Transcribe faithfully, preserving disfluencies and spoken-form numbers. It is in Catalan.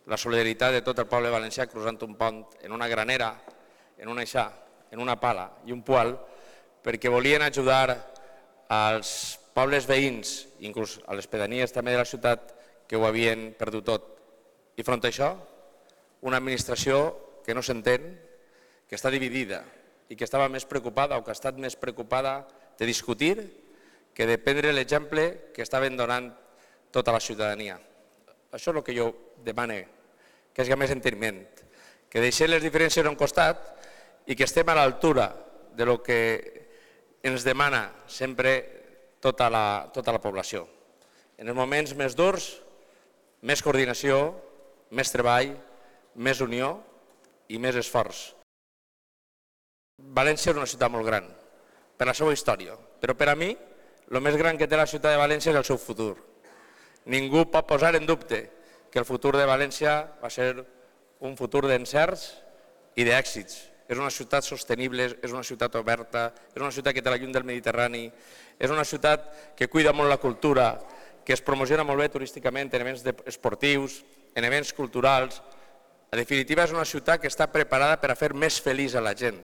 la solidaritat de tot el poble valencià cruzant un pont en una granera, en una aixà, en una pala i un poal, perquè volien ajudar als pobles veïns, inclús a les pedanies també de la ciutat, que ho havien perdut tot. I front a això, una administració que no s'entén, que està dividida i que estava més preocupada o que ha estat més preocupada de discutir que de prendre l'exemple que estaven donant tota la ciutadania. Això és el que jo demano, que és més enteniment, que deixem les diferències a un costat i que estem a l'altura de lo que ens demana sempre tota la, tota la població. En els moments més durs, més coordinació, més treball, més unió i més esforç. València és una ciutat molt gran, per la seva història, però per a mi el més gran que té la ciutat de València és el seu futur. Ningú pot posar en dubte que el futur de València va ser un futur d'encerts i d'èxits. És una ciutat sostenible, és una ciutat oberta, és una ciutat que té la llum del Mediterrani, és una ciutat que cuida molt la cultura, que es promociona molt bé turísticament en events esportius, en events culturals. En definitiva, és una ciutat que està preparada per a fer més feliç a la gent.